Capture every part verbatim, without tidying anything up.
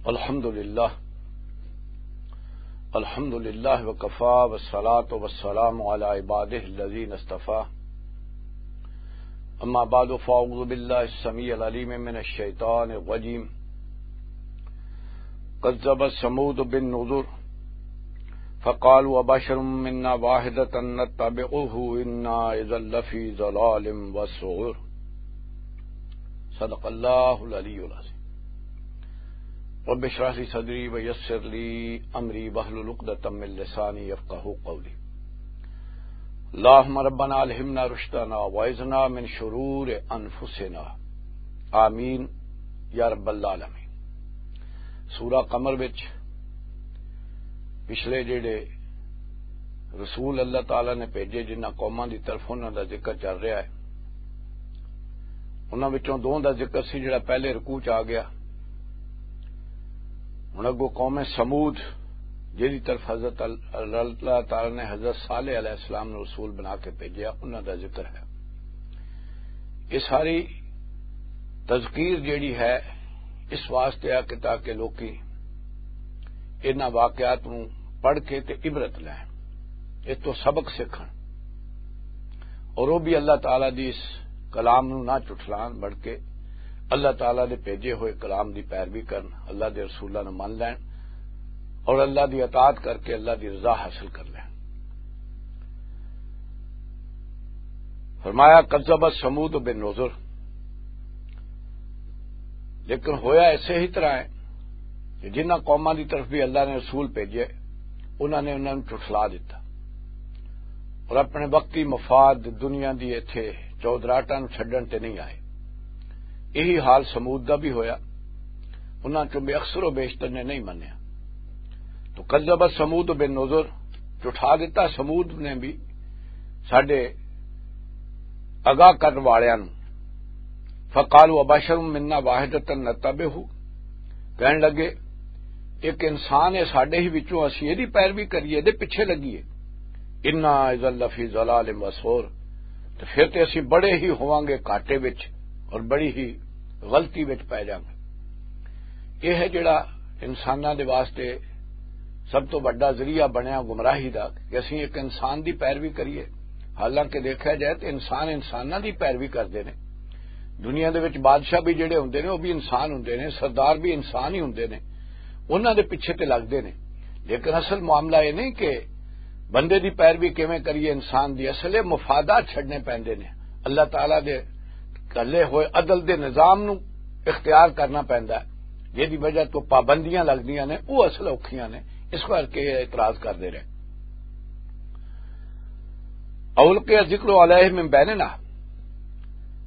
الحمد لله. الحمد لله وكفى، والصلاة والسلام على عباده الذين اصطفى. أما بعد، فأعوذ بالله السميع العليم من الشيطان الرجيم. كذبت ثمود بالنذر، فقالوا أبشر منا واحدة نتبعه إنا إذا لفي ضلال وسعر. صدق الله العلي العظيم. رب اشرح لي صدري ويسر لي أمري واحلل عقدة من لساني يفقهوا قولي. اللهم ربنا ألهمنا رشدنا وأعذنا من شرور أنفسنا. آمين يا رب العالمين. سورہ قمر وچ پچھلے جڑے رسول اللہ تعالیٰ نے بھیجے، جنہاں قوماں دی طرف انہاں دا ذکر چل رہا ہے، انہاں وچوں دو دا ذکر سی جڑا پہلے رکوع چ آ گیا۔ ہن اگوں قوم سمود، جہدی طرف حضرت ال-، اللہ تعالیٰ نے حضرت صالح علیہ السلام نوں رسول بنا کے بھیجیا، انہاں دا ذکر ہے۔ یہ ساری تذکیر جیڑی ہے، اس واسطے آ کہ تاکہ لوکی انہاں واقعات نوں پڑھ کے تے عبرت لین، اس تو سبق سیکھن، اور وہ بھی اللہ تعالیٰ دی اس کلام نوں نہ چٹلان، بلکہ اللہ تعالیٰ دے بھیجے ہوئے کلام دی پیروی کرن، اللہ دے رسولاں نوں من لین، اور اللہ دی اطاعت کر کے اللہ دی رضا حاصل کر لین۔ فرمایا، "کذبت ثمود بالنذر۔" لیکن ہویا ایسے ہی طرح ہے کہ جنہاں قوماں دی طرف بھی اللہ نے رسول بھیجے، انہاں نے انہاں نوں جھٹلا دتا اور اپنے وقتی مفاد، دنیا دی ایتھے چودراہٹاں نوں چھڈن تے نہیں آئے۔ یہی حال ثمود دا بھی ہویا، انہاں چوں بے اکثر و بیشتر نے نہیں منیا۔ تو کذبت ثمود بالنذر، جھٹا دتا ثمود نے بھی ساڈے آگاہ کرن والیاں نوں۔ فقالوا ابشر منا واحدۃ نتبعہ، کہن لگے، ایک انسان ہے ساڈے ہی وچوں، اسی ایدی پیروی کریے، ایدے پیچھے لگیے۔ انا اذا لفی ضلال و سعر، تو پھر تے اسی بڑے ہی ہوواں گے گھاٹے وچ اور بڑی ہی غلطی وچ پے جاواں گے۔ یہ ہے جڑا انساناں دے واسطے سب تو وڈا ذریعہ بنیا گمراہی دا، کہ اسی ایک انسان دی پیروی کریے۔ حالانکہ دیکھا جائے تو انسان انساناں دی پیروی کردے نے۔ دنیا دے وچ بادشاہ بھی جڑے ہوندے نے، وہ بھی انسان ہوندے نے، سردار بھی انسان ہی ہوندے نے، انہاں دے پیچھے تے لگدے نے۔ لیکن اصل معاملہ یہ نہیں کہ بندے دی پیروی کیویں کریے، انسان دی اصل ہے مفادات چھڈنے پیندے نے۔ اللہ تعالیٰ دے گھلے ہوئے عدل دے نظام نو اختیار کرنا پیندا ہے، جس دی وجہ تو پابندیاں لگدیاں نے، وہ اصل اوکھیاں نے۔ اس کر کے یہ اعتراض کردے رہے۔ اولقی ذکر علیہ من بیننا،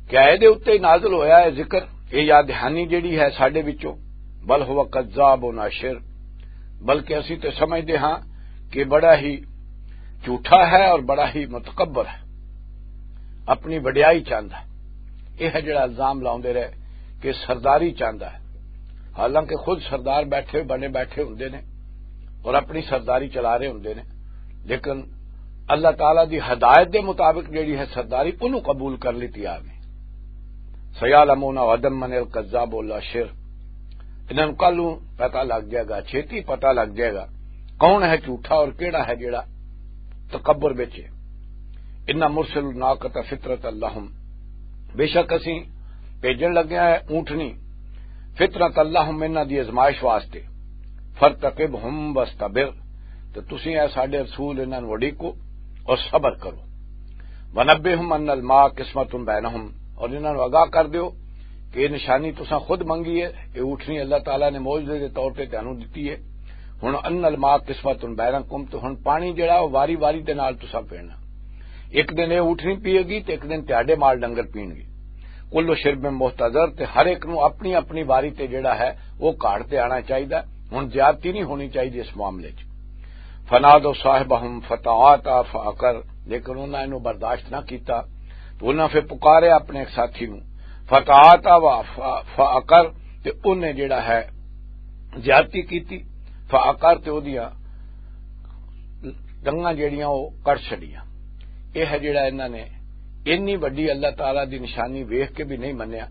کیا اے دے اُتے نازل ہویا ہے ذکر، اے یاد دہانی جڑی ہے ساڈے وچوں؟ بل ہوا کذاب و ناشر، بلکہ اسی تے سمجھدے ہاں کہ بڑا ہی جھوٹا ہے اور بڑا ہی متکبر ہے، اپنی وڈیائی چاہندا ہے۔ یہ ہے جڑا الزام لاؤندے رہے کہ سرداری چاہندا ہے، حالانکہ خود سردار بیٹھے بنے بیٹھے ہوندے نے اور اپنی سرداری چلا رہے ہوندے نے، لیکن اللہ تعالیٰ دی ہدایت دے مطابق جڑی ہے سرداری، انہوں قبول کر لیتی آ گئی۔ سیعلمون غدا من الکذاب الاشر، انہاں نوں کل نوں پتہ لگ جائے گا، چھیتی پتہ لگ جائے گا کون ہے جھوٹا اور کیڑا ہے جڑا تکبر وچ ہے۔ انا مرسل الناقۃ فتنۃ لہم، بے شک اسی بھیجن لگے ہیں اونٹنی، فتنۃ لہم، انہاں دی آزمائش واسطے۔ فرتقبہم واصطبر، تے تسی اے ساڈے رسول انہاں نوں اڈیکو اور صبر کرو۔ ونبئہم ان الماء قسمۃ بینہم، اور انہاں نوں آگاہ کر دیو کہ یہ نشانی تساں خود منگی ہے، یہ اونٹنی اللہ تعالیٰ نے معجزے دے طور تے تانوں دتی ہے۔ ہن ان الماء قسمۃ بینکم، تو ہن پانی جڑا وہ واری واری دے نال تساں پینا، ایک دن یہ اونٹنی پیے گی تے ایک دن تہاڈے مال ڈنگر پین گے۔ کل شرب محتضر، تے ہر ایک نوں اپنی اپنی واری تے جڑا ہے وہ گھاڑ تے آنا چاہیدا۔ ہن زیادتی نہیں ہونی چاہیدی اس معاملے چ۔ فنادوا صاحبہم فتعاطی فعقر، لیکن انہاں اینوں برداشت نہ کیتا، تو انہاں پھر پکاریا اپنے ایک ساتھی نوں، فتعاطی و ف-، فعقر، تے انہیں جڑا ہے زیادتی کیتی، فعقر، تے اودیاں ڈنگاں جڑیاں وہ کٹ چھڑیاں۔ یہ ہے جڑا انہاں نے انی وڈی اللہ تعالیٰ دی نشانی ویکھ کے بھی نہیں منیا،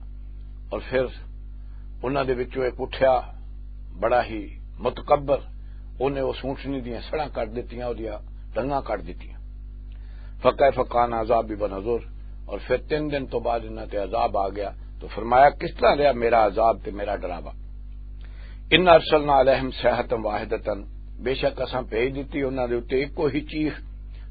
اور پھر انہاں دے وچوں ایک اٹھیا بڑا ہی متکبر، انہیں اس اونٹنی دیاں سڑاں کٹ دتیاں، اودیاں ڈنگاں کٹ دتیاں۔ فکیف کان عذابی و نذر، اور پھر تین دن تو بعد انہاں تے عذاب آ گیا۔ تو فرمایا، کس طرح رہا میرا عذاب تے میرا ڈراوا؟ ان ارسلنا علیہم صیحۃ واحدۃ، بے شک اساں بھیج دتی انہاں دے اُتے اکو ہی چیخ،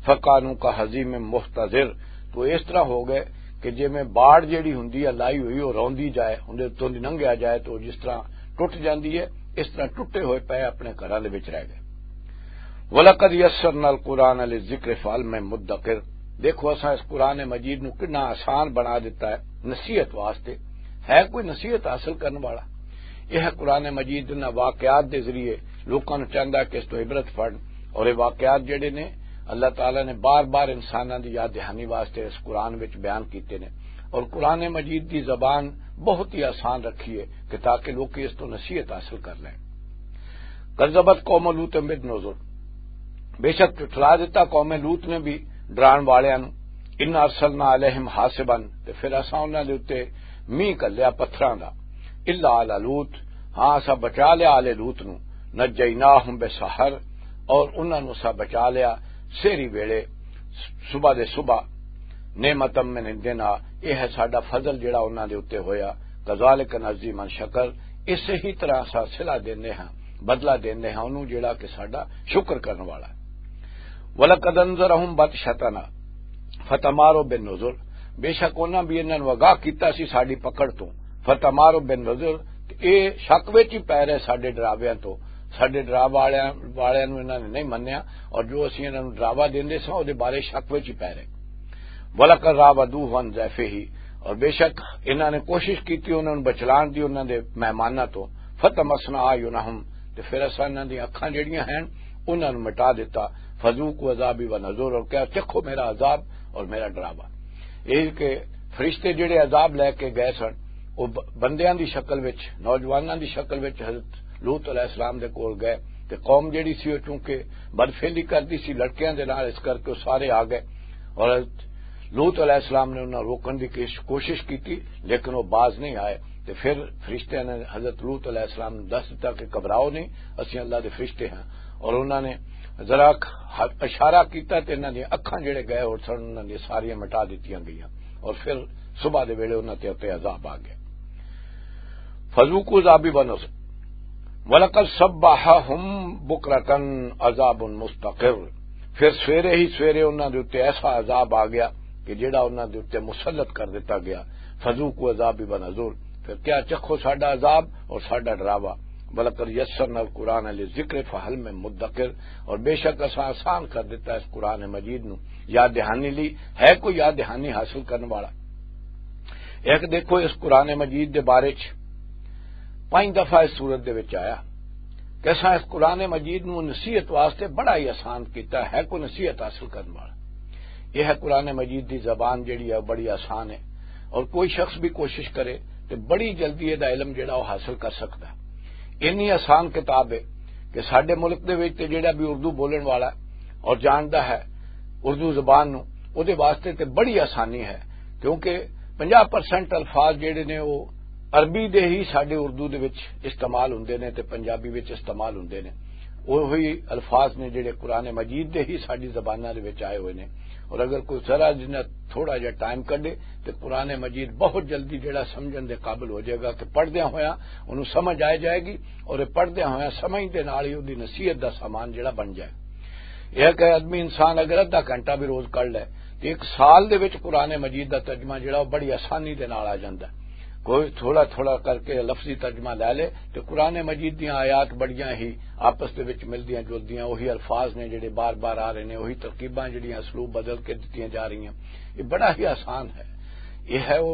فکانوا کہضیم محتضر، تو اس طرح ہو گئے کہ جویں باڑ جیڑی ہوندی ہے لائی ہوئی، وہ روندی جائے، اندے اتوں دی لنگھیا جائے تو جس طرح ٹوٹ جاندی ہے، اس طرح ٹوٹے ہوئے پے اپنے گھراں دے وچ رہ گئے۔ وَلَقَدْ يَسَّرْنَا الْقُرْآنَ لِلذِّكْرِ فَهَلْ مِن مُّدَّكِرٍ۔ دیکھو، اساں اس قرآن مجید نوں کنا آسان بنا دتا ہے نصیحت واسطے۔ ہے کوئی نصیحت حاصل کرن والا؟ یہ ہے قرآن مجید انہاں واقعات دے ذریعے لوکاں نوں چاہندا ہے کہ اس تو عبرت پڑھن، اور یہ واقعات جڑے نے، اللہ تعالیٰ نے بار بار انساناں دی یاد دہانی واسطے اس قرآن وچ بیان کیتے نے، اور قرآن مجید دی زبان بہت ہی آسان رکھی ہے کہ تاکہ لوکی اس تو نصیحت حاصل کر لیں۔ کذبت قوم لوط بالنذر، بے شک جھٹلا دتا قوم لوط نے بھی ڈران والیاں نوں۔ ان ارسلنا علیہم حاصبا، تے پھر اساں انہاں دے اُتے مینہ گھلیا پتھراں دا۔ الا آل لوط، ہاں، اساں بچا لیا آل لوط نوں۔ نجیناہم بسحر، اور انہاں نوں اساں بچا لیا سحری ویلے، صبح دے صبح۔ نعمتا من عندنا، یہ ہے ساڈا فضل جڑا انہاں دے اُتے ہویا۔ کذالک نجزی من شکر، اسے ہی طرح اساں صلہ دیندے ہاں، بدلہ دیندے ہاں انہوں جڑا کہ ساڈا شکر کرن والا ہے۔ وَلَقَدْ أَنذَرَهُمْ بَطْشَتَنَا فَتَمَارَوْا بِالنُّذُرِ، بے شک انہاں بھی انہاں نوں آگاہ کیتا سی ساڈی پکڑ تو۔ فَتَمَارَوْا بِالنُّذُرِ، تے اے شک وچ ہی پے رہے ساڈے ڈراویاں تو۔ ساڈے ڈراوا والیاں، والیاں نوں انہاں نے نہیں منیا، اور جو اسی انہاں نوں ڈراوا دیندے ساں، او دے بارے شک وچ ہی پے رہے۔ وَلَقَدْ رَاوَدُوهُ عَن ضَيْفِهِ، اور بے شک انہاں نے کوشش کیتی انہاں نوں بچلان دی انہاں دے مہماناں تو۔ فَطَمَسْنَا أَعْيُنَهُمْ، تے پھر اساں انہاں دی اکھاں جڑیاں ہن، انہاں نوں مٹا دتا۔ فَذُوقُوا عَذَابِي وَنُذُرِ، اور کہا، چکھو میرا عذاب اور میرا ڈراوا۔ یہ کہ فرشتے جڑے عذاب لے کے گئے سن، وہ ب-، بندیاں دی شکل وچ، نوجواناں دی شکل وچ حضرت لوط علیہ السلام دے کول گئے، تے قوم جڑی سی، وہ چونکہ بدفعلی کردی سی لڑکیاں دے نال، اس کر کے وہ سارے آ گئے۔ اور حضرت لوط علیہ السلام نے انہاں روکن دی کش-، کوشش کیتی، لیکن وہ باز نہیں آئے۔ تے پھر فرشتیاں نے حضرت لوط علیہ السلام نوں دس دتا کہ گھبراؤ نہیں، اسی اللہ دے فرشتے ہاں۔ اور انہاں نے ذرا ک-، اشارہ کیتا تے انہاں دی اکھاں جڑے گئے اور سن، انہاں دی ساریاں مٹا دتیاں گئیاں۔ اور پھر صبح دے ویلے انہاں تے اُتے عذاب آ گیا۔ فذوقوا عذابی ونذر۔ وَلَقَدْ صَبَّحَهُم بُكْرَةً عَذَابٌ مُسْتَقِرٌ۔ پھر سویرے ہی سویرے انہاں دے اُتے ایسا عذاب آ گیا کہ جڑا انہاں دے اُتے مسلط کر دتا گیا۔ فذوقوا عذابی ونذر۔ پھر کیا چکھو ساڈا عذاب اور ساڈا ڈراوا۔ وَلَقَدْ يَسَّرْنَا الْقُرْآنَ لِلذِّكْرِ فَهَلْ مِن مُّدَّكِرٍ، اور بے شک اساں آسان کر دتا اس قرآن مجید نو یاد دہانی لئی، ہے کوئی یاد دہانی حاصل کرن والا؟ ایک دیکھو، اس قرآن مجید دے بارے چ پنج دفعہ اس سورت دے وچ آیا کہ اساں اس قرآن مجید نو نصیحت واسطے بڑا ہی آسان کیتا ہے، کوئی نصیحت حاصل کرن والا۔ یہ ہے قرآن مجید دی زبان جڑی ہے، بڑی آسان ہے، اور کوئی شخص بھی کوشش کرے تے بڑی جلدی یہ علم جڑا وہ حاصل کر سکتا ہے۔ اینی آسان کتاب ہے کہ ساڈے ملک دے وچ تے جڑا بھی اردو بولن والا ہے اور جاندا ہے اردو زبان نو، او دے واسطے تے بڑی آسانی ہے، کیونکہ پنجاہ پرسنٹ الفاظ جڑے نے، وہ عربی دے ہی ساڈے اردو دے وچ استعمال ہوندے نے تے پنجابی وچ استعمال ہوندے نے۔ وہی الفاظ نے جڑے قرآن مجید دے ہی ساڈی زباناں دے وچ آئے ہوئے نے۔ اور اگر کوئی ذرا جنہ تھوڑا جہا ٹائم کڈے تے قرآن مجید بہت جلدی جڑا سمجھن دے قابل ہو جائے گا کہ پڑھدیاں ہویاں انہوں سمجھ آ جائے گی، اور یہ پڑھدیاں ہویاں سمجھ دے نال ہی اودی نصیحت دا سامان جڑا بن جائے۔ یہ کہ آدمی انسان اگر ادھا گھنٹہ بھی روز کر لے تے ایک سال دے وچ قرآن مجید دا ترجمہ جڑا وہ بڑی آسانی دے نال آ جاندا ہے۔ کوئی تھوڑا تھوڑا کر کے لفظی ترجمہ لے لے تے قرآن مجید دیاں آیات بڑیاں ہی آپس دے وچ ملدیاں جلدیاں، وہی الفاظ نے جڑے بار بار آ رہے نے، وہی ترکیباں جڑیاں اسلوب بدل کے دتیاں جا رہی ہیں۔ یہ بڑا ہی آسان ہے۔ یہ ہے وہ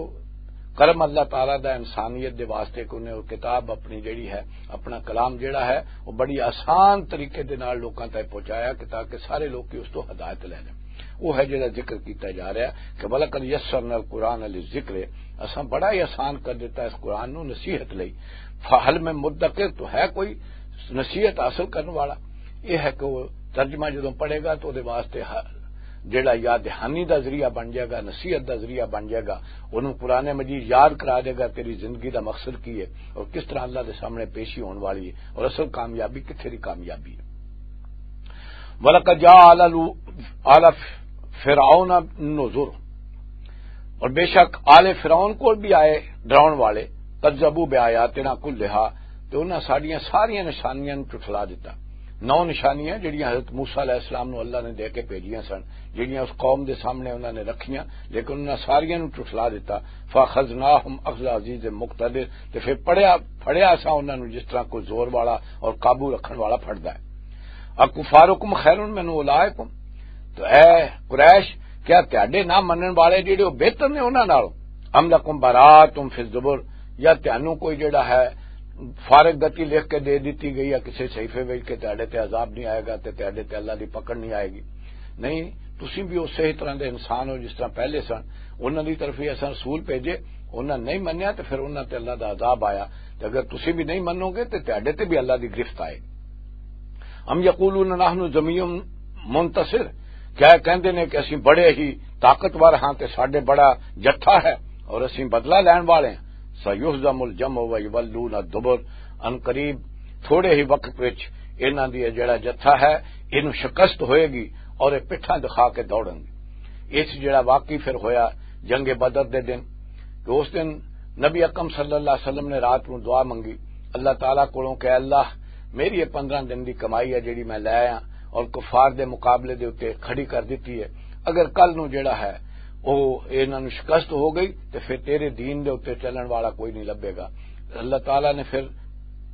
کرم اللہ تعالیٰ دا انسانیت دے واسطے کہ انہیں وہ کتاب اپنی جڑی ہے، اپنا کلام جڑا ہے، وہ بڑی آسان طریقے دے نال لوکاں تک پہنچایا کہ تاکہ سارے لوگ اس تو ہدایت لے لیں۔ وہ ہے جڑا ذکر کیتا جا رہا ہے کہ وَلَقَدْ يَسَّرْنَا الْقُرْآنَ لِلذِّكْرِ، اساں بڑا ہی آسان کر دیتا اس قرآن نو نصیحت لئی۔ فَهَلْ مِن مُّدَّكِرٍ، تو ہے کوئی نصیحت حاصل کرنے والا؟ یہ ہے کہ وہ ترجمہ جدوں پڑھے گا تو دے واسطے ہر جڑا یاد دہانی دا ذریعہ بن جائے گا، نصیحت دا ذریعہ بن جائے گا، انہوں قرآن مجید یاد کرا دے گا تیری زندگی دا مقصد کی ہے اور کس طرح اللہ دے سامنے پیشی ہون والی ہے اور اصل کامیابی کتھے دی کامیابی ہے۔ وَلَقَدْ جَاءَ آلَ لُو-، آلَ فِرْعَوْنَ النُّذُرُ، اور بے شک آل فرعون کول بھی آئے ڈراؤن والے، کذبوا بآیاتنا کلہا، تے انہاں ساڈیاں ساریاں نشانیاں نوں جھٹلا دتا۔ نو نشانیاں جڑیاں حضرت موسیٰ علیہ السلام نوں اللہ نے دے کے بھیجیاں سن، جڑیاں اس قوم دے سامنے انہاں نے رکھیاں، لیکن انہاں ساریاں نوں جھٹلا دتا۔ فَأَخَذْنَاهُمْ أَخْذَ عَزِيزٍ مُقْتَدِرٍ، تے پھر پڑیا، پھڑیا اساں انہاں نوں جس طرح کوئی زور والا اور قابو رکھن والا پھڑدا ہے۔ اکفارکم خیر من اولئکم، تو اے قریش، کیا تہاڈے نہ منن والے جڑے وہ بہتر نے انہاں نالوں؟ ام لکم براءۃ فی الزبر، یا تہانوں کوئی جڑا ہے فارغ گتی لکھ کے دے دتی گئی ہے کسی صحیفے وچ کہ تہاڈے تے عذاب نہیں آئے گا تے تہاڈے تے اللہ دی پکڑ نہیں آئے گی؟ نہیں، تسی بھی اسی طرح دے انسان ہو جس طرح پہلے سن۔ انہاں دی طرف ہی اساں رسول بھیجے، انہاں نہیں منیا تے پھر انہاں تے اللہ دا عذاب آیا۔ تے اگر تسی بھی نہیں منو گے تے تہاڈے تے بھی اللہ دی گرفت آئے گی۔ ام یقولون نحن جمیع منتصر، کیا یہ کہندے نے کہ اسی بڑے ہی طاقتور ہاں تے ساڈے بڑا جتھا ہے اور اسی بدلہ لین والے ہیں؟ سیہزم الجمع ویولون الدبر، ان قریب تھوڑے ہی وقت وچ انہاں دی یہ جڑا جتھا ہے، اینوں شکست ہوئے گی اور یہ پٹھاں دکھا کے دوڑن گے۔ اس جڑا واقعی پھر ہویا جنگ بدر دے دن، کہ اس دن نبی اکرم صلی اللہ علیہ وسلم نے رات نوں دعا منگی اللہ تعالیٰ کولوں کہ اللہ، میری یہ پندرہ دن دی کمائی ہے جڑی میں لے آیا اور کفار دے مقابلے دے اُتے کھڑی کر دتی ہے، اگر کل نوں جڑا ہے او انہاں نوں شکست ہو گئی تے پھر تیرے دین دے اُتے چلن والا کوئی نہیں لبے گا۔ اللہ تعالیٰ نے پھر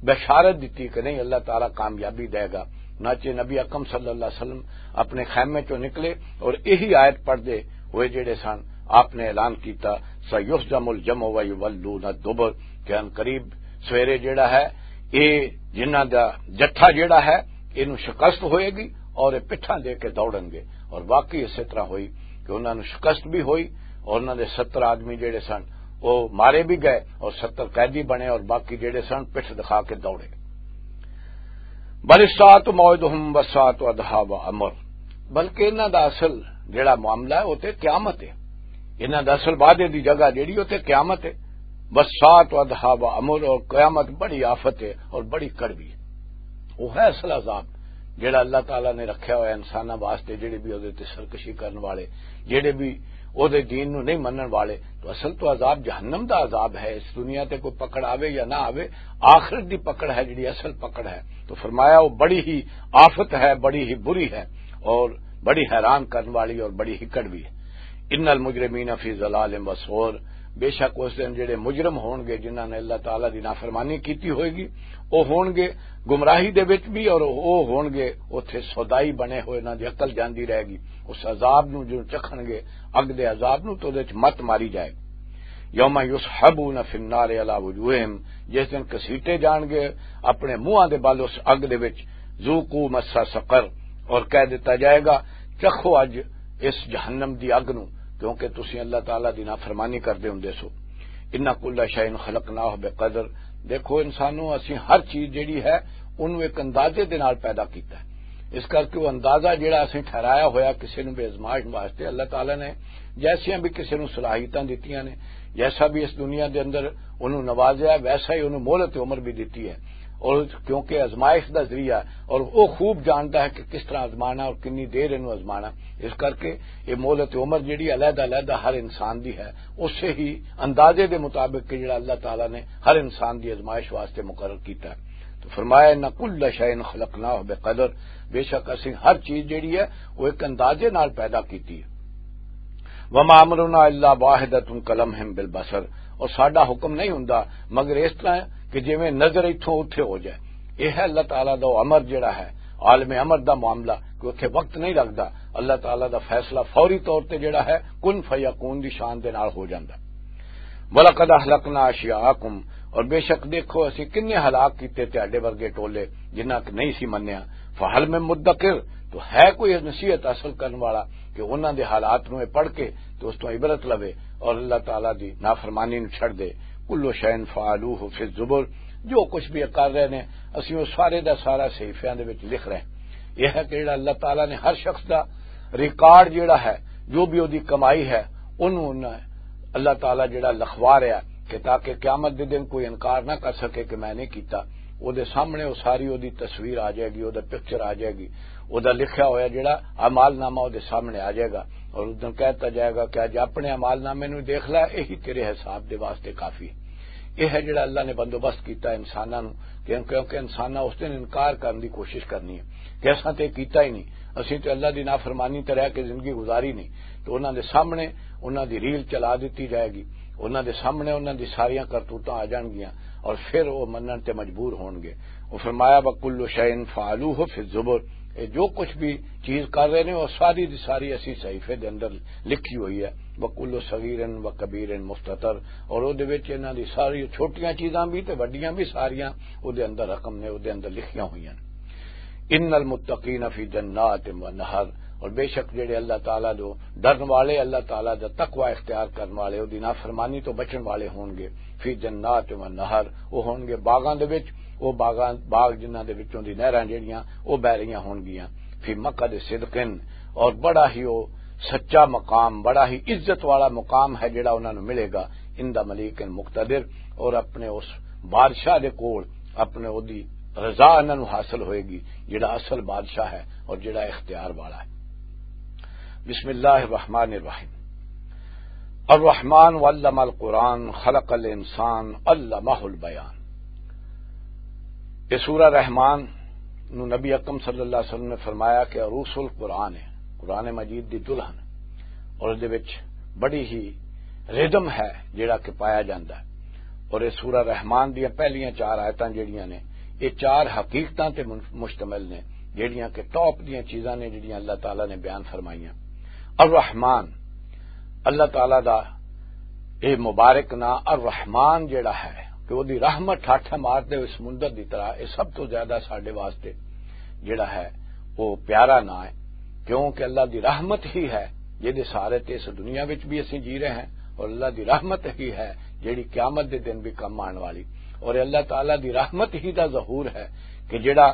بشارت دتی کہ نہیں، اللہ تعالیٰ کامیابی دے گا۔ ناچے نبی اکرم صلی اللہ علیہ وسلم اپنے خیمے چوں نکلے اور یہی آیت پڑھدے ہوئے جڑے سن، آپ نے اعلان کیتا، "سیہزم الجمع ویولون الدبر"، کہ ان قریب سویرے جڑا ہے، اے جنہاں دا جتھا جڑا ہے، اینوں شکست ہوئے گی اور یہ پٹھاں دے کے دوڑن گے۔ اور واقعی اسی طرح ہوئی کہ انہاں نوں شکست بھی ہوئی اور انہاں دے ستر آدمی جڑے سن، وہ مارے بھی گئے اور ستر قیدی بنے اور باقی جڑے سن، پٹھ دکھا کے دوڑے۔ بل الساعۃ موعدہم والساعۃ ادھیٰ وامر، بلکہ انہاں دا اصل جڑا معاملہ ہے، وہ تے قیامت ہے۔ انہاں دا اصل وعدے دی جگہ جڑی، وہ تے قیامت ہے۔ والساعۃ ادھیٰ وامر، اور قیامت بڑی آفت ہے اور بڑی کڑوی ہے۔ وہ ہے اصل عذاب جڑا اللہ تعالیٰ نے رکھیا ہوا ہے انساناں واسطے، جڑے بھی اودے تے سرکشی کرن والے، جڑے بھی اودے دین نو نہیں منن والے۔ تو اصل تو عذاب جہنم دا عذاب ہے۔ اس دنیا تے کوئی پکڑ آوے یا نہ آوے، آخرت دی پکڑ ہے جڑی اصل پکڑ ہے۔ تو فرمایا، وہ بڑی ہی آفت ہے، بڑی ہی بری ہے اور بڑی حیران کرن والی اور بڑی ہی کڑوی ہے۔ ان المجرمین فی ضلال و سعر، بے شک اس دن جڑے مجرم ہون گے، جنہاں نے اللہ تعالیٰ دی نافرمانی کیتی ہوئے گی، وہ ہون گے گمراہی دے وچ بھی، اور وہ ہون گے اتھے سودائی بنے ہوئے، انہاں دی عقل جاندی رہے گی۔ اس عذاب نو جو چکھن گے، اگ دے عذاب نو، تو دے وچ مت ماری جائے۔ یوم یسحبون فی النار علی وجوہہم، جس دن کسیٹے جان گے اپنے منہاں دے بل اس اگ دے وچ، ذوقوا مس سقر، اور کہہ دتا جائے گا، چکھو اج اس جہنم دی اگ نو، کیونکہ تسی اللہ تعالیٰ دی نافرمانی کردے ہوندے سو۔ ان کل شیء خلقناہ بقدر، دیکھو انسانو، اسی ہر چیز جڑی ہے، انہوں ایک اندازے دے نال پیدا کیتا ہے۔ اس کرکے وہ اندازہ جڑا اسی ٹھہرایا ہویا کسی نوں بھی آزمائش واسطے، اللہ تعالیٰ نے جیسیاں بھی کسی نوں صلاحیتاں دتیاں نے، جیسا بھی اس دنیا دے اندر انہوں نوازیا ہے، ویسا ہی انہوں مہلت عمر بھی دتی ہے۔ اور کیونکہ آزمائش دا ذریعہ ہے اور وہ خوب جانتا ہے کہ کس طرح آزمانا اور کنی دیر انہوں آزمانا، اس کرکے یہ مہلت عمر جڑی علیحدہ علیحدہ ہر انسان دی ہے، اسے ہی اندازے دے مطابق کہ جڑا اللہ تعالیٰ نے ہر انسان دی آزمائش واسطے مقرر کیتا ہے۔ تو فرمایا، ان کل شیء خلقناہ بقدر، بے شک اسی ہر چیز جڑی ہے وہ ایک اندازے نال پیدا کیتی ہے۔ وما امرنا الا واحدۃ کلمح بالبصر، اور ساڈا حکم نہیں ہوندا مگر اس طرح کہ جویں نظر اتھوں اتھے ہو جائے۔ یہ ہے اللہ تعالیٰ دا امر جڑا ہے، عالم امر دا معاملہ، کہ اتھے وقت نہیں لگدا۔ اللہ تعالیٰ دا فیصلہ فوری طور تے جڑا ہے، کن فیکون دی شان دے نال ہو جاندا۔ وَلَقَدْ أَهْلَكْنَا أَشْيَاعَكُمْ، اور بے شک دیکھو اسی کنے ہلاک کیتے تہاڈے ورگے ٹولے جنہاں کہ نہیں سی منیا۔ فَهَلْ مِن مُّدَّكِرٍ، تو ہے کوئی نصیحت حاصل کرن والا کہ انہاں دے حالات نوں اے پڑھ کے تو اس تو عبرت لوے اور اللہ تعالیٰ دی نافرمانی نوں چھڑ دے۔ کل شیء فعلوہ فی الزبر، جو کچھ بھی یہ کر رہے نے، اسی وہ سارے دا سارا صحیفیاں دے وچ لکھ رہے ہیں۔ یہ ہے کہ جڑا اللہ تعالیٰ نے ہر شخص دا ریکارڈ جڑا ہے، جو بھی اودی کمائی ہے، انہوں نے اللہ تعالیٰ جڑا لکھوا رہا ہے کہ تاکہ قیامت دے دن کوئی انکار نہ کر سکے کہ میں نہیں کیتا۔ اودے سامنے وہ ساری اودی تصویر آ جائے گی، اودے پکچر آ جائے گی، اودے لکھیا ہویا جڑا اعمال نامہ اودے سامنے آ جائے گا، اور اس دن کہتا جائے گا کہ اج اپنے اعمال نامے نوں دیکھ لے، یہی تیرے حساب دے واسطے کافی ہے۔ یہ ہے جڑا اللہ نے بندوبست کیتا انساناں نوں، کہ کیونکہ انساناں اس دن انکار کرن دی کوشش کرنی ہے کہ اساں تے کیتا ہی نہیں، اسیں تے اللہ دی نافرمانی تے رہ کے زندگی گزاری نہیں۔ تو انہاں دے سامنے انہاں دی ریل چلا دتی جائے گی، انہاں دے سامنے انہاں دی ساریاں کرتوتاں آ جان گیاں، اور پھر وہ منن تے مجبور ہون گے۔ وہ فرمایا، "وَكُلُّ شَيْءٍ فَعَلُوهُ فِي الزُّبُرِ۔" یہ جو کچھ بھی چیز کر رہے نے، وہ ساری دی ساری اسی صحیفے دے اندر لکھی ہوئی ہے۔ "وَكُلُّ صَغِيرٍ وَكَبِيرٍ مُسْتَطَرٌ۔" اور او دے وچ انہاں دی ساری چھوٹیاں چیزاں بھی تے وڈیاں بھی ساریاں او دے اندر رقم نے، او دے اندر لکھیاں ہوئیاں نے۔ "ان المتقین فی جنات و نہر۔" اور بے شک جڑے اللہ تعالیٰ دو ڈرن والے، اللہ تعالیٰ دا تقوی اختیار کرن والے، او دی نافرمانی تو بچن والے ہون گے، فی جنات و نہر، او ہون گے باغاں دے وچ، او باغاں، باغ جنہاں دے وچوں دی نہراں جڑیاں او بہ رہیاں ہون گیاں، فی مقعد صدقن، اور بڑا ہی او سچا مقام، بڑا ہی عزت والا مقام ہے جڑا انہاں نوں ملے گا، عند ملیک مقتدر، اور اپنے اس بادشاہ دے کول اپنے اودی رضا انہاں نوں حاصل ہوئے گی، جڑا اصل بادشاہ ہے اور جڑا اختیار والا ہے۔ بسم اللہ الرحمن الرحیم۔ الرحمن علم القرآن خلق الانسان علمہ البیان۔ یہ سورہ رحمان نو نبی اکرم صلی اللہ علیہ وسلم نے فرمایا کہ عروس القرآن ہے، قرآن مجید دی دلہن، اور اس دے وچ بڑی ہی ردم ہے جڑا کہ پایا جاندا ہے۔ اور یہ سورہ رحمان دیاں پہلیاں چار آیتاں جڑیاں نے، یہ چار حقیقتاں تے من-، مشتمل نے، جڑیاں کہ ٹاپ دیاں چیزاں نے جڑیاں اللہ تعالیٰ نے بیان فرمائیاں۔ الرحمان، اللہ تعالیٰ دا اے مبارک ناں الرحمان جڑا ہے کہ وہ دی رحمت ٹھاٹھا مار دے اس سمندر دی طرح، اے سب تو زیادہ ساڈے واسطے جڑا ہے وہ پیارا ناں ہے، کیونکہ اللہ دی رحمت ہی ہے جدے سارے تے اس دنیا وچ بھی اسیں جی رہے ہیں، اور اللہ دی رحمت ہی ہے جڑی قیامت دے دن بھی کم آن والی، اور اللہ تعالیٰ دی رحمت ہی دا ظہور ہے کہ جڑا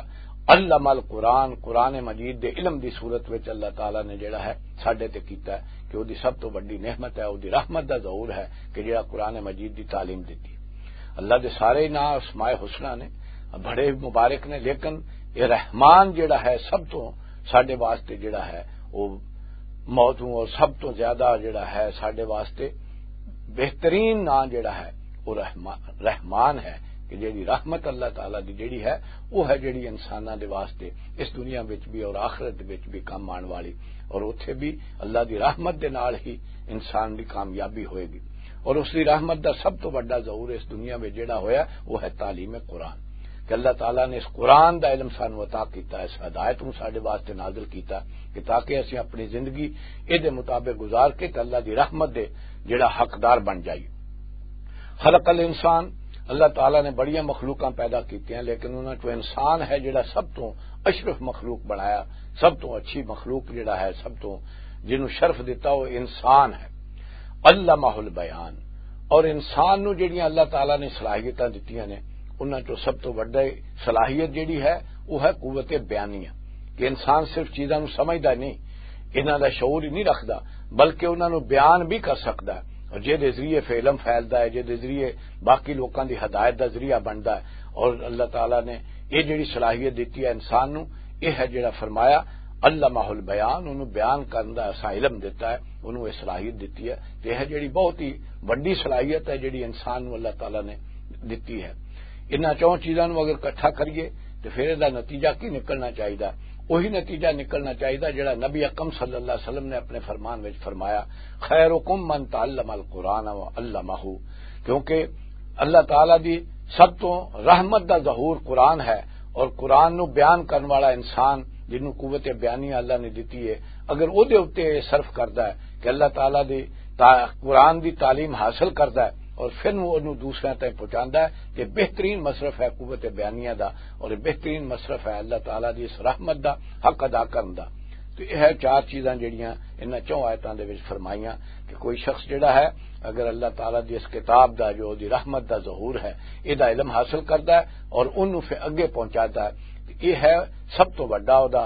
علم القرآن، قرآن مجید دے علم دی صورت وچ اللہ تعالیٰ نے جڑا ہے ساڈے تے کیتا ہے، کہ او دی سب تو وڈی نعمت ہے، او دی رحمت دا ظہور ہے کہ جڑا قرآن مجید دی تعلیم دتی۔ اللہ دے سارے نام اسماء حسنہ نے، بڑے مبارک نے، لیکن یہ رحمان جڑا ہے سب تو ساڈے واسطے جڑا ہے وہ موضوع اور سب تو زیادہ جڑا ہے ساڈے واسطے بہترین نام جڑا ہے وہ رحما-، رحمان ہے، کہ جڑی رحمت اللہ تعالیٰ دی جڑی ہے، وہ ہے جڑی انساناں دے واسطے اس دنیا وچ بھی اور آخرت وچ بھی کم آن والی، اور اتھے بھی اللہ دی رحمت دے نال ہی انسان دی کامیابی ہوئے گی۔ اور اس دی رحمت دا سب تو بڑا ظہور اس دنیا وچ جڑا ہویا، وہ ہے تعلیم قرآن، کہ اللہ تعالیٰ نے اس قرآن دا علم سانو عطا کیتا، اس ہدایت نو ساڈے واسطے نازل کیتا، کہ تاکہ اسیں اپنی زندگی اے دے مطابق گزار کے تے اللہ دی رحمت دے جڑا حقدار بن جائیے۔ خلق الانسان، اللہ تعالیٰ نے بڑیاں مخلوقاں پیدا کیتیاں، لیکن انہاں چوں انسان ہے جڑا سب تو اشرف مخلوق بنایا، سب تو اچھی مخلوق جڑا ہے، سب تو جنوں شرف دتا، وہ انسان ہے۔ علمہ البیان، اور انسان نو جڑیاں اللہ تعالیٰ نے صلاحیتاں دتیاں نے، انہاں چوں سب تو وڈا صلاحیت جڑی ہے، وہ ہے قوت بیانیہ، کہ انسان صرف چیزاں نو سمجھدا نہیں، انہاں دا شعور ہی نہیں رکھدا، بلکہ انہاں نو بیان بھی کر سکدا ہے، اور جے دے ذریعے فعلم پھیلدا ہے، جے دے ذریعے باقی لوکاں دی ہدایت دا ذریعہ بندا ہے۔ اور اللہ تعالیٰ نے یہ جڑی صلاحیت دتی ہے انسان نو، یہ ہے جڑا فرمایا، علمہ البیان، انہوں بیان کرن دا ایسا علم دتا ہے، انہوں یہ صلاحیت دتی ہے۔ تے یہ جڑی بہت ہی وڈی صلاحیت ہے جڑی انسان نو اللہ تعالیٰ نے دتی ہے۔ انہاں چون چیزاں نو اگر اکٹھا کریے تے پھر اس دا نتیجہ کی نکلنا چاہیے؟ وہی نتیجہ نکلنا چاہیے جڑا نبی اکرم صلی اللہ علیہ وسلم نے اپنے فرمان وچ فرمایا، "خیرکم من تعلم القرآن و علمہ"، کیونکہ اللہ تعالیٰ دی سب تو رحمت دا ظہور قرآن ہے، اور قرآن نو بیان کرن والا انسان جنوں قوت بیانی اللہ نے دتی ہے، اگر او دے اُتے یہ صرف کردا ہے کہ اللہ تعالیٰ دی تا-، قرآن دی تعلیم حاصل کردا ہے اور پھر نوں اونوں دوسرے تائیں پہنچاندا ہے، تے بہترین مصرف ہے قوت بیانیہ دا، اور بہترین مصرف ہے اللہ تعالیٰ دی اس رحمت دا حق ادا کرن دا۔ تو یہ ہے چار چیزاں جڑیاں انہاں چوں آیتاں دے وچ فرمائیاں کہ کوئی شخص جڑا ہے، اگر اللہ تعالیٰ دی اس کتاب دا، جو دی رحمت دا ظہور ہے، اے دا علم حاصل کردا ہے اور اونوں پھر اگے پہنچاتا ہے، تے اے ہے سب تو وڈا او دا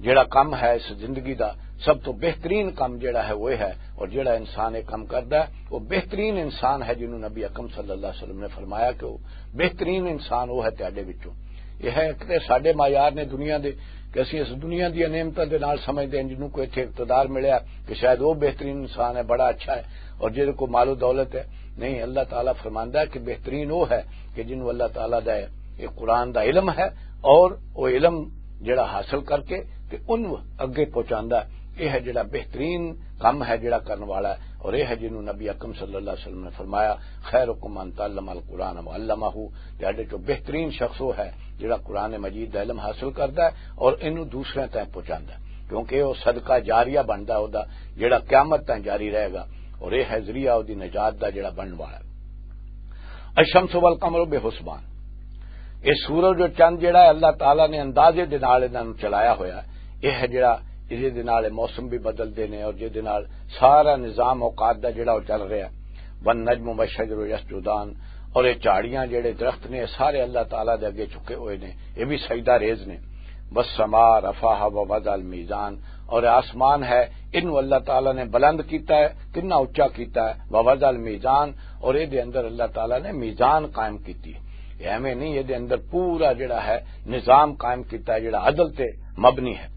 جڑا کم ہے اس زندگی دا، سب تو بہترین کم جڑا ہے وہ ہے، اور جڑا انسان یہ کم کردا ہے وہ بہترین انسان ہے، جنوں نبی اکرم صلی اللہ علیہ وسلم نے فرمایا کہ وہ بہترین انسان وہ ہے تہاڈے وچوں۔ یہ ہے ایک تے ساڈے معیار نے دنیا دے کہ اسی اس دنیا دی نعمتاں دے نال سمجھدے ہیں، جنوں کو اتھے اقتدار ملیا کہ شاید وہ بہترین انسان ہے، بڑا اچھا ہے، اور جہدے کو مال و دولت ہے۔ نہیں، اللہ تعالیٰ فرماندا ہے کہ بہترین وہ ہے کہ جنوں اللہ تعالیٰ دا یہ قرآن دا علم ہے، اور وہ علم جڑا حاصل کر کے تے ان اگے پہنچاندا ہے۔ یہ ہے جڑا بہترین کم ہے جڑا کرن والا ہے، اور یہ ہے جنوں نبی اکرم صلی اللہ علیہ وسلم نے فرمایا، "خیرکم من تعلم القرآن وعلمہ"، تہاڈے چوں بہترین شخص وہ ہے جڑا قرآن مجید دا علم حاصل کردا ہے اور اینوں دوسرے تائیں پہنچاندا ہے، کیونکہ وہ صدقہ جاریہ بندا ہے، او دا جڑا قیامت تائیں جاری رہے گا، اور یہ ہے ذریعہ او دی نجات دا جڑا بنن والا ہے۔ الشمس والقمر بحسبان، یہ سورج اور چند جڑا ہے، اللہ تعالیٰ نے اندازے دے نال انہاں نوں چلایا ہویا ہے۔ یہ ہے جڑا، اس دے نال موسم بھی بدلدے نے اور جس دے نال سارا نظام اوقات دا جڑا وہ چل رہا ہے۔ والنجم والشجر یسجدان، اور یہ جھاڑیاں جڑے درخت نے، سارے اللہ تعالیٰ دے اگے جھکے ہوئے نے، یہ بھی سجدہ ریز نے۔ والسماء رفعها ووضع المیزان، اور آسمان ہے، انہوں اللہ تعالیٰ نے بلند کیتا ہے، کتنا اچا کیتا ہے، ووضع المیزان، اور یہ دے اندر اللہ تعالیٰ نے میزان قائم کیتی ہے۔ یہ ایویں نہیں، یہ دے اندر پورا جڑا ہے نظام قائم کیتا ہے، جڑا عدل تے مبنی ہے۔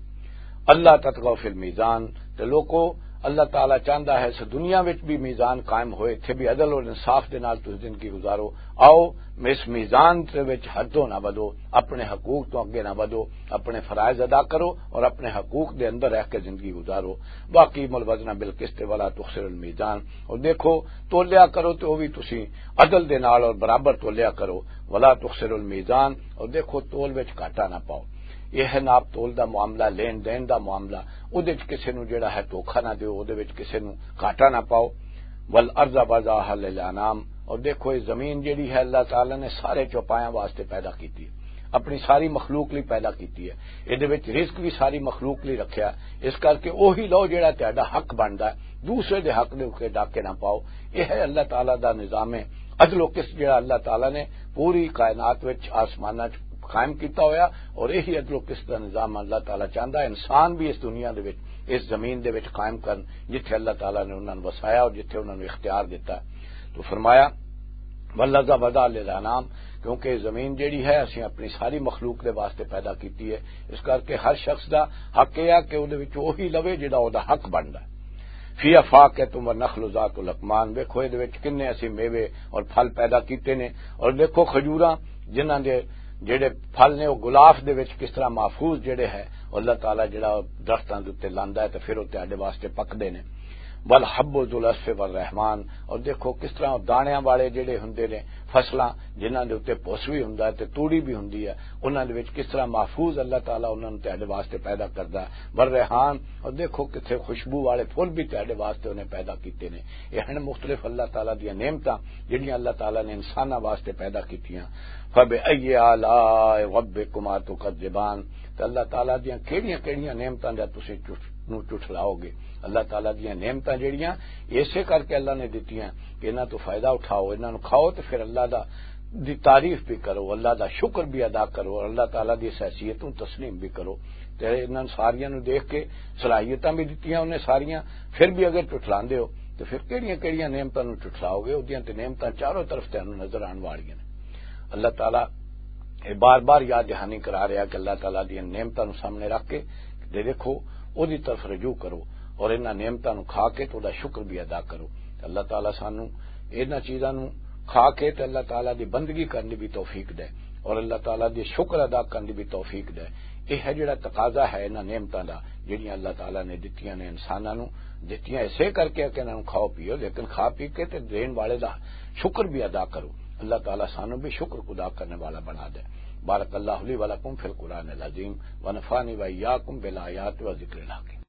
اللہ تطغوا فی المیزان، تے لوکو، اللہ تعالیٰ چاہندا ہے اس دنیا وچ بھی میزان قائم ہوئے، اتھے بھی عدل اور انصاف دے نال تسی زندگی گزارو۔ آؤ، اس میزان دے وچ حدوں نہ ودو، اپنے حقوق تو اگے نہ ودو، اپنے فرائض ادا کرو اور اپنے حقوق دے اندر رہ کے زندگی گزارو۔ واقیموا الوزن بالقسط ولا تخسروا المیزان، اور دیکھو، تولیا کرو تے او بھی تسی عدل دے نال اور برابر تولیا کرو۔ ولا تخسروا المیزان، اور دیکھو، تول وچ گھاٹا نہ پاؤ۔ یہ ہے ناپ تول دا معاملہ، لین دین دا معاملہ۔ اودے وچ کسے نوں جڑا ہے دھوکا نہ دیو، اودے وچ کسے نوں گھاٹا نہ پاؤ۔ والارض وضعها للانام، اور دیکھو، یہ زمین جڑی ہے، اللہ تعالیٰ نے سارے چوپایاں واسطے پیدا کیتی ہے، اپنی ساری مخلوق لئی پیدا کیتی ہے۔ اے دے وچ رزق بھی ساری مخلوق لئی رکھیا، اس کر کے اوہی لو جڑا تہاڈا حق بندا ہے، دوسرے دے حق دے اُتے ڈاکے نہ پاؤ۔ یہ ہے اللہ تعالیٰ دا نظام عدل و قسط، جڑا اللہ تعالیٰ نے پوری کائنات وچ، آسماناں وچ قائم کیتا ہویا، اور یہی عدل و قسط دا نظام اللہ تعالیٰ چاہندا ہے انسان بھی اس دنیا دے وچ، اس زمین دے وچ قائم کرن، جتھے اللہ تعالیٰ نے انہاں نوں وسایا اور جتھے انہاں نوں اختیار دتا۔ تو فرمایا، "والارض وضعها للانام"، کیونکہ زمین جڑی ہے، اسیں اپنی ساری مخلوق دے واسطے پیدا کیتی ہے، اس کر کے ہر شخص دا حق یہ ہے کہ اودے وچ وہی لوے جڑا اودا حق بندا ہے۔ فیہا فاکہۃ والنخل ذات الاکمام، ویکھو، اے دے وچ کنے اسی میوے اور پھل پیدا کیتے نے، اور دیکھو، کھجوراں، جنہاں دے جڑے پھل نے، وہ غلاف دے وچ کس طرح محفوظ جڑے ہے، اللہ تعالیٰ جڑا درختاں دے اُتے لاندا ہے تے پھر وہ تہاڈے واسطے پکدے نے۔ والحب ذو العصف والرمان، اور دیکھو، کس طرح دانیاں والے جڑے ہوندے نے، فصلاں جنہاں دے اُتے پوس بھی ہوندا ہے تے توڑی بھی ہوندی ہے، انہاں دے وچ کس طرح محفوظ اللہ تعالیٰ انہاں نوں تہاڈے واسطے پیدا کردا ہے۔ والریحان، اور دیکھو، کتھے خوشبو والے پھول بھی تہاڈے واسطے انہیں پیدا کیتے نے۔ یہ ہن مختلف اللہ تعالیٰ دیاں نعمتاں، جڑیاں اللہ تعالیٰ نے انساناں واسطے پیدا کیتیاں۔ فبأي آلاء ربكما تكذبان، تے اللہ تعالیٰ دیاں کیڑیاں کیڑیاں نعمتاں دا تسیں جھٹ-، نوں جھٹلاؤ گے؟ اللہ تعالیٰ دیاں نعمتاں جڑیاں، اسے کر کے اللہ نے دتیاں کہ انہاں تو فائدہ اٹھاؤ، انہاں نوں کھاؤ، تے پھر اللہ دا، دی تعریف بھی کرو، اللہ دا شکر بھی ادا کرو، اور اللہ تعالیٰ دی اس حیثیت نوں تسلیم بھی کرو۔ تے انہاں ساریاں نوں دیکھ کے، صلاحیتاں بھی دتیاں انہیں ساریاں، پھر بھی اگر جھٹلاندے ہو، تے پھر کیڑیاں کیڑیاں نعمتاں نوں جھٹلاؤ گے؟ اودیاں تے نعمتاں چاروں طرف تانوں نظر آن والیاں نے۔ اللہ تعالیٰ یہ بار بار یاد دہانی کرا رہا کہ اللہ تعالیٰ دی نعمتاں نوں سامنے رکھ کے تے دیکھو، او دی طرف رجوع کرو اور انہاں نعمتاں نوں کھا کے تے او دا شکر بھی ادا کرو۔ تے اللہ تعالیٰ سانوں انہاں چیزاں نوں کھا کے تے اللہ تعالیٰ دی بندگی کرن دی بھی توفیق دے اور اللہ تعالیٰ دی شکر ادا کرن دی بھی توفیق دے۔ یہ ہے جڑا تقاضا ہے انہاں نعمتاں دا، جڑیاں اللہ تعالیٰ نے دتیاں نے انساناں نوں، دتیاں اسے کر کے کہ انہاں نوں کھاؤ پیو، لیکن کھا پی کے تے دین والے دا شکر بھی ادا کرو۔ اللہ تعالیٰ سانوں بھی شکر ادا کرنے والا بنا دے۔ بارک اللہ لی و لکم فی القرآن العظیم، ونفعنی و ایاکم بالآیات و ذکر الحکیم۔